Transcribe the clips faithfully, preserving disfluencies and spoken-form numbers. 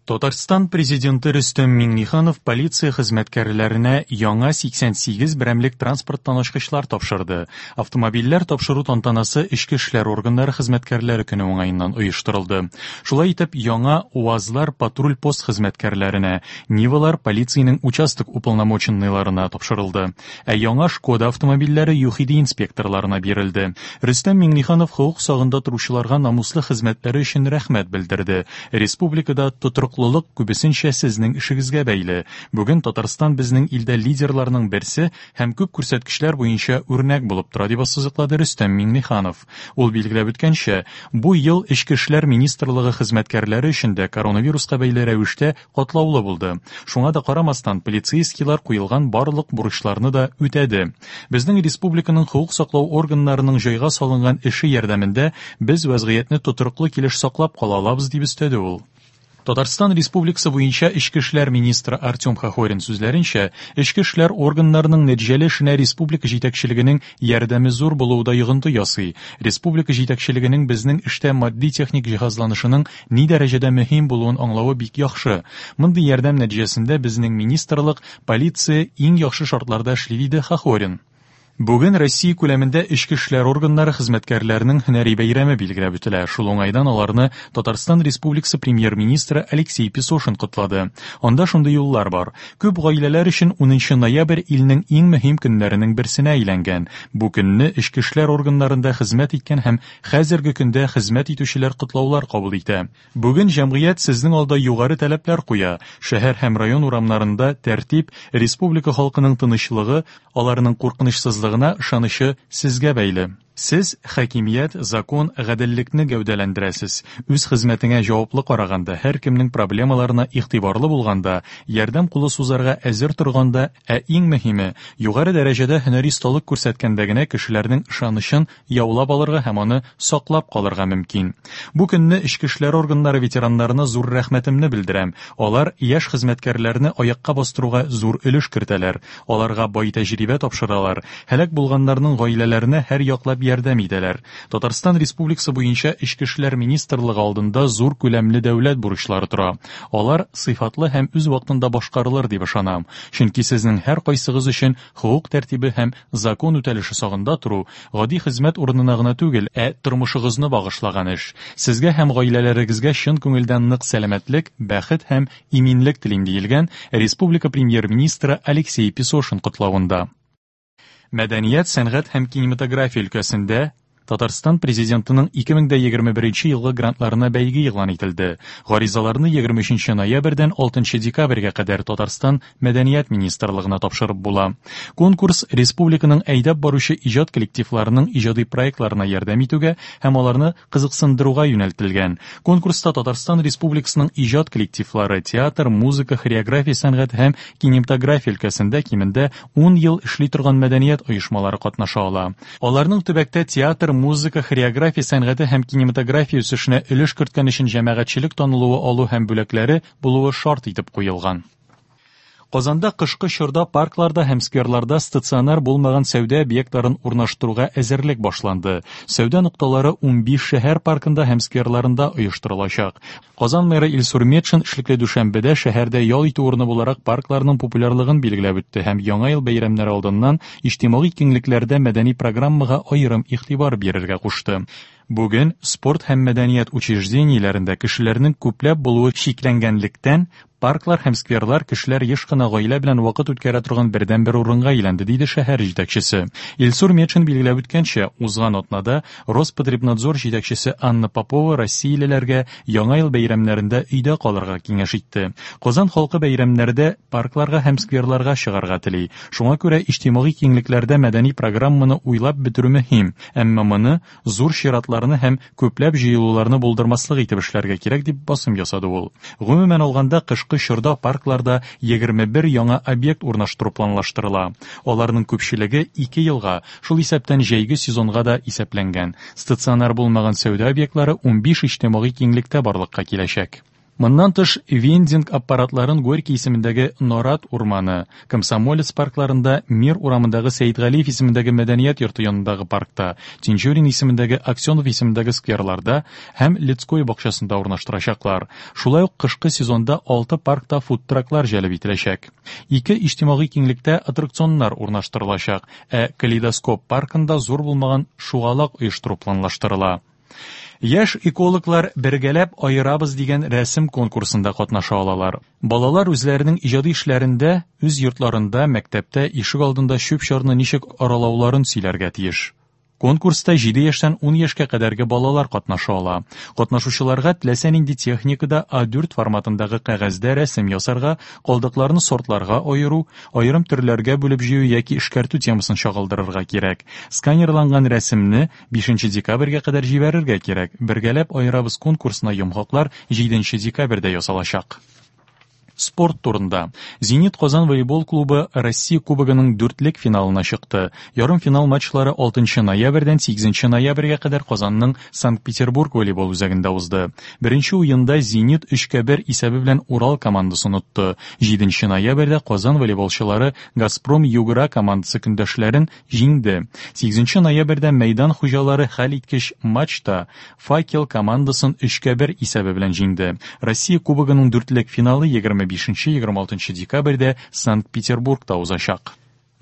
Татарстан Президенты Рөстәм Миңнеханов полиция хезмәткәрләренә яңа сиксән сигез берәмлек транспорттан ачкычлар тапшырды. Автомобильләр тапшыру тантанасы Эчке эшләр органнары хезмәткәрләре көне уңаеннан оештырылды. Шулай итеп, яңа УАЗлар патруль-пост хезмәткәрләренә, Нивалар полициянең участок уполномоченныйларына тапшырылды. Ә яңа Шкода автомобильләре ЮХИДИ инспекторларына бирелде. Рөстәм Миңнеханов хокук сагында торучыларга намуслы хезмәтләре өчен рәхмәт белдерде. Республикада тотрыклылык күбесенчә сезнең эшегезгә бәйле. Бүген Татарстан безнең илдә лидерларның берсе һәм күп күрсәткечләр буенча үрнәк булып тора, дип ассызыклады Рөстәм Миңнеханов. Ул билгеләп үткәнчә, бу ел Эчке эшләр министрлыгы хезмәткәрләре өчен дә коронавируска бәйле рәвештә катлаулы булды. Шуңа да карамастан, полицейскийлар куелган барлык бурычларны да үтәде. Безнең республиканың хокук саклау органнарының җайга салынган эше ярдәмендә без вәзгыятьне тотрыклы килеш саклап кала алабыз, дип өстәде ул. Татарстан Республикасы буенча Эчке эшләр министры Артем Хохорин сүзләренчә, эчке эшләр органнарының нәтиҗәле эшенә республика җитәкчелегенең ярдәме зур булуы да йогынты ясый. Республика җитәкчелегенең безнең эштә матди-техник җиһазланышының ни дәрәҗәдә мөһим булуын аңлавы бик яхшы. Мондый ярдәм нәтиҗәсендә безнең министрлык, полиция иң яхшы шартларда эшли, диде Хохорин. Бүген Россия күләмендә эчке эшләр органнары хезмәткәрләренең һөнәри бәйрәме билгеләп үтелә. Шул уңайдан аларны Татарстан Республикасы премьер-министры Алексей Песошин котлады. Анда шундый юллар бар. Күп гаиләләр өчен унынчы ноябрь илнең иң мөһим көннәренең берсенә әйләнгән. Бу көнне эчке эшләр органнарында хезмәт иткән һәм хәзерге көндә хезмәт итүчеләр котлаулар кабул итә. Бүген җәмгыять сезнең алда югары таләпләр куя. Шәһәр һәм район урамнарында тәртип, республика халкының тынычлыгы, аларның куркынычсызлыгына ышанычы сезгә бәйле. Сез хакимият, закон, гаделлекне гәүдәләндерәсез. Үз хезмәтеңә җаваплы караганда, һәркемнең проблемаларына игътибарлы булганда, ярдәм кулы сузарга әзер торганда, ә иң мөһиме, югары дәрәҗәдә һөнәри осталык күрсәткәндә генә кешеләрнең ышанычын яулап алырга һәм аны саклап калырга мөмкин. Бу көнне эчке эшләр органнары ветераннарына зур рәхмәтемне белдерәм. Алар яшь хезмәткәрләрне аякка бастыруга зур өлеш кертәләр. Аларга бай тәҗрибә тапшыралар. Һәлак булганнарның гаиләләренә һәр яклап ярдәм итәләр. Татарстан Республикасы буенча Эчке эшләр министрлыгы алдында зур күләмле дәүләт бурычлары тора. Алар сыйфатлы һәм үз вакытында башкарылыр дип ышанам. Чөнки сезнең һәр кайсыгыз өчен хокук тәртибе һәм закон үтәлеше сагында тору гади хезмәт урынына гына түгел, ә тормышыгызны багышлаган эш. Сезгә һәм гаиләләрегезгә чын күңелдән нык сәламәтлек, бәхет һәм иминлек телим, диелгән Республика премьер-министры Алексей Песошин котлавында. Мәдәният, сәнгать һәм кинематография өлкәсендә Татарстан Президентының ике мең дә егерме беренче елгы грантларына бәйге игълан ителде. Гаризаларны егерме өченче ноябрьдән алтынчы декабрьгә кадәр Татарстан Мәдәният министрлыгына тапшырып була. Конкурс республиканың әйдәп баручы иҗат коллективларының иҗади проектларына ярдәм итүгә һәм аларны кызыксындыруга юнәлтелгән. Конкурста Татарстан Республикасының иҗат коллективлары театр, музыка, хореография сәнгате һәм кинематография өлкәсендә кимендә ун ел эшли торган мәдәният оешмалары катнаша ала. Аларның төбәктә театр, музыка, хореография сәнгате һәм кинематография үсешенә өлеш керткән өчен җәмәгатьчелек танылуы алу һәм бүләкләре булуы шарт итеп куелган. Казанда кышкы чорда паркларда һәм скверларда стационар булмаган сәүдә объектларын урнаштыруга әзерлек башланды. Сәүдә нокталары унбиш шәһәр паркында һәм скверларында оештырылачак. Казан мэры Илсур Метшин эшлекле дүшәмбедә шәһәрдә ял итү урыны буларак паркларның популярлыгын билгеләп үтте һәм Яңа ел бәйрәмнәре алдыннан иҗтимагый киңлекләрдә мәдәни программага аерым игътибар бирергә кушты. Бүген спорт һәм мәдәният учреждениеләрендә кешеләрнең күпләп булуы чикләнгәнлектән, парклар һәм скверлар кешеләр еш кына гаилә белән вакыт үткәрә торган бердәнбер урынга әйләнде, диде шәһәр җитәкчесе. Илсур Метшин билгеләп үткәнчә, узган атнада Роспотребнадзор җитәкчесе Анна Попова россиялеләргә Яңа ел бәйрәмнәрендә өйдә калырга киңәш итте. Казан халкы бәйрәмнәрдә паркларга һәм скверларга чыгарга тели. Шуңа күрә иҗтимагый киңлекләрдә мәдәни программаны уйлап бетерү мөһим, әмма моны зур чиратларны һәм күпләп җыелуларны булдырмаслык итеп эшләргә кирәк, дип басым ясады ул. Гомумән алганда, кышкы чорда паркларда егерме бер яңа объект урнаштыру планлаштырыла. Аларның күпчелеге ике елга, шул исәптән җәйге сезонга да исәпләнгән. Стационар булмаган сәүдә объектлары унбиш иҗтимагый киңлектә барлыкка киләчәк. Моннан тыш, вендинг аппаратларын Горький исемендәге Нарат урманы, Комсомолец паркларында, Мир урамындагы Сәетгалиев исемендәге мәдәният йорты янындагы паркта, Тинчурин исемендәге, Аксенов исемендәге скверларда һәм Людской бакчасында урнаштырачаклар. Шулай ук кышкы сезонда алты паркта фудтраклар җәлеп ителәчәк. Ике иҗтимагый киңлектә аттракционнар урнаштырылачак, ә Калейдоскоп паркында зур булмаган шугалак оештыру планлаштырыла. Яшь экологлар «Бергәләп аерабыз» дигән рәсем конкурсында катнаша алалар. Балалар үзләренең иҗади эшләрендә үз йортларында, мәктәптә, ишек алдында чүп-чарны ничек аралауларын сөйләргә тиеш. Конкурста җиде яшьтән ун яшькә кадәрге балалар катнаша ала. Катнашучыларга теләсә нинди техникада А дүрт форматындагы кәгазьдә рәсем ясарга, калдыкларны сортларга аеру, аерым төрләргә бүлеп җыю яки эшкәртү темасын чагылдырырга кирәк. Сканерланган рәсемне бишенче декабрьгә кадәр җибәрергә кирәк. Бергәләп аерабыз конкурсына йомгаклар җиденче декабрьдә ясалачак. Спорт турында. Зенит Казан волейбол клубы Россия Кубогының дүртлек финалына чыкты. Ярымфинал матчлары алтынчы ноябрьдән сигезенче ноябрьгә кадәр Казанның Санкт-Петербург волейбол үзәгендә узды. Беренче уенда Зенит өчкә бер исәбе белән Урал командасын отты. Җиденче ноябрьдә Казан волейболчылары Газпром Югра командасы көндәшләрен җиңде. Сигезенче ноябрьдә мәйдан хуҗалары хәл иткеч матчта Факел командасын өчкә бер исәбе белән җиңде. Россия Кубогының дүртлек финалы егерме бишенче егерме алтынчы декабрьдә Санкт-Петербургта узачак.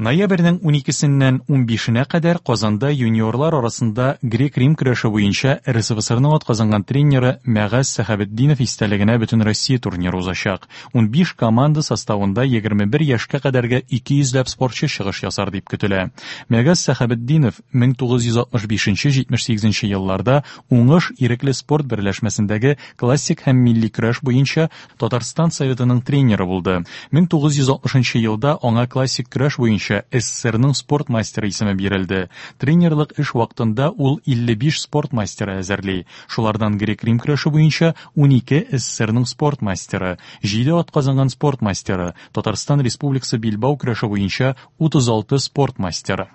Ноябрьнең уникесеннән унбишенә кадәр Казанда юниорлар арасында грек-рим көрәше буенча РСФСРның атказанган тренеры Мәгаз Сәхәбетдинов истәлегенә Бөтенроссия турниры узачак. Унбиш команда составында егерме бер яшькә кадәрге ике йөзләп спортчы чыгыш ясар дип көтелә. Мәгаз Сәхәбетдинов мең тугыз йөз алтмыш бишенче җитмеш сигезенче елларда Уңыш ирекле спорт берләшмәсендәге классик һәм милли көрәш буенча Татарстан Советының тренеры булды. Мең тугыз йөз алтмышынчы елда аңа классик көрәш буенча СССРның спорт мастеры исеме бирелде. Тренерлык эш вакытында ул илле биш спорт мастеры әзерли. Шулардан грек-рим көрәше буенча унике СССРның спорт мастеры, җиде атказанган спорт мастеры, Татарстан Республикасы билбау көрәше буенча утыз алты спорт мастеры.